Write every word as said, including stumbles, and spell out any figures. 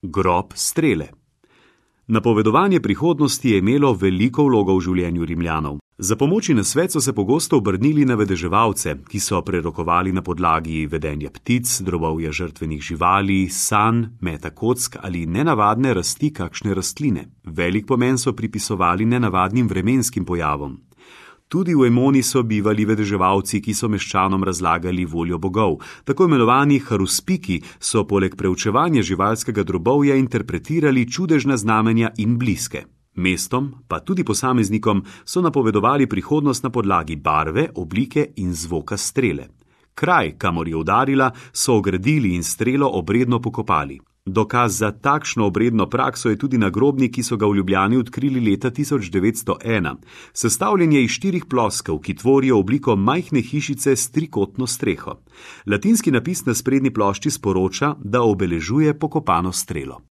Grob strele. Napovedovanje prihodnosti je imelo veliko vlogo v življenju Rimljanov. Za pomoč in nasvet so se pogosto obrnili na vedeževalce, ki so prerokovali na podlagi vedenja ptic, drobovja žrtvenih živali, sanj, meta kock ali nenavadne rasti kakšne rastline. Velik pomen so pripisovali nenavadnim vremenskim pojavom. Tudi v Emoni so bivali vedeževalci, ki so meščanom razlagali voljo bogov. Tako imenovani haruspiki so poleg preučevanja živalskega drobovja interpretirali čudežna znamenja in bliske. Mestom, pa tudi posameznikom, so napovedovali prihodnost na podlagi barve, oblike in zvoka strele. Kraj, kamor je udarila, so ogradili in strelo obredno pokopali. Dokaz za takšno obredno prakso je tudi nagrobnik, ki so ga v Ljubljani odkrili leta tisoč devetsto ena. Sestavljen je iz štirih ploskev, ki tvorijo obliko majhne hišice s trikotno streho. Latinski napis na sprednji plošči sporoča, da obeležuje pokopano strelo.